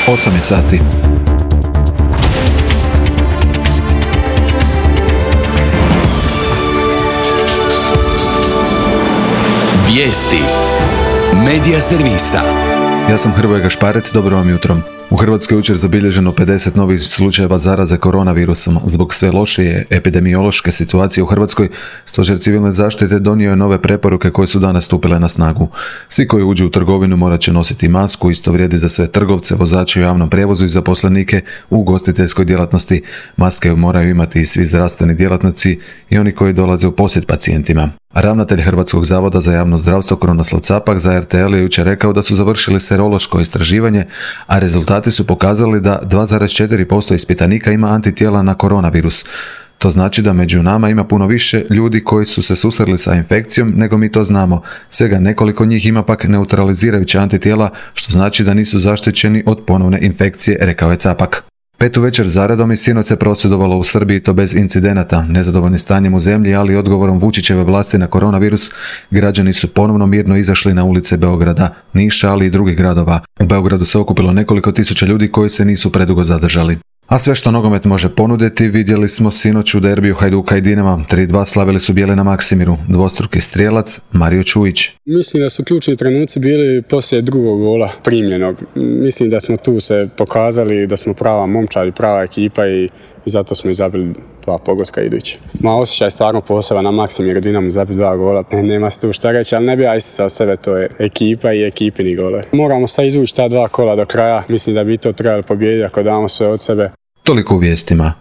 8 je sati. Vijesti Medija servisa. Ja sam Hrvoje Gašparec, dobro vam jutro. U Hrvatskoj jučer zabilježeno 50 novih slučajeva zaraze koronavirusom. Zbog sve lošije epidemiološke situacije u Hrvatskoj, Stožer civilne zaštite donio je nove preporuke koje su danas stupile na snagu. Svi koji uđu u trgovinu morat će nositi masku, isto vrijedi za sve trgovce, vozače u javnom prijevozu i zaposlenike u ugostiteljskoj djelatnosti. Maske moraju imati i svi zdravstveni djelatnici i oni koji dolaze u posjet pacijentima. Ravnatelj Hrvatskog zavoda za javno zdravstvo Krunoslav Capak za RTL je jučer rekao da su završili serološko istraživanje, a rezultati su pokazali da 2,4% ispitanika ima antitijela na koronavirus. To znači da među nama ima puno više ljudi koji su se susreli sa infekcijom nego mi to znamo. Svega nekoliko njih ima pak neutralizirajuće antitijela, što znači da nisu zaštićeni od ponovne infekcije, rekao je Capak. 5. večer zaredom i sinoć se prosvjedovalo u Srbiji, to bez incidenata. Nezadovoljni stanjem u zemlji, ali i odgovorom Vučićeve vlasti na koronavirus, građani su ponovno mirno izašli na ulice Beograda, Niša, ali i drugih gradova. U Beogradu se okupilo nekoliko tisuća ljudi koji se nisu predugo zadržali. A sve što nogomet može ponuditi vidjeli smo sinoć u derbiju Hajduka i Dinama. 3:2 slavili su bijeli na Maksimiru. Dvostruki strijelac Mario Čujić. Mislim da su ključni trenuci bili poslije drugog gola primljenog. Mislim da smo tu se pokazali da smo prava momčad i prava ekipa i zato smo i zabili 2 pogotka idući. Osjećaj stvarno poseban na Maksimiru, Dinamo zabiti 2 gola. Nema se tu šta reći, ali ne bi ja isticao sebe, to je ekipa i ekipini gole. Moramo sad izvući ta 2 kola do kraja. Mislim da bi to trebali pobijediti ako damo sve od sebe. Toliko u vijestima.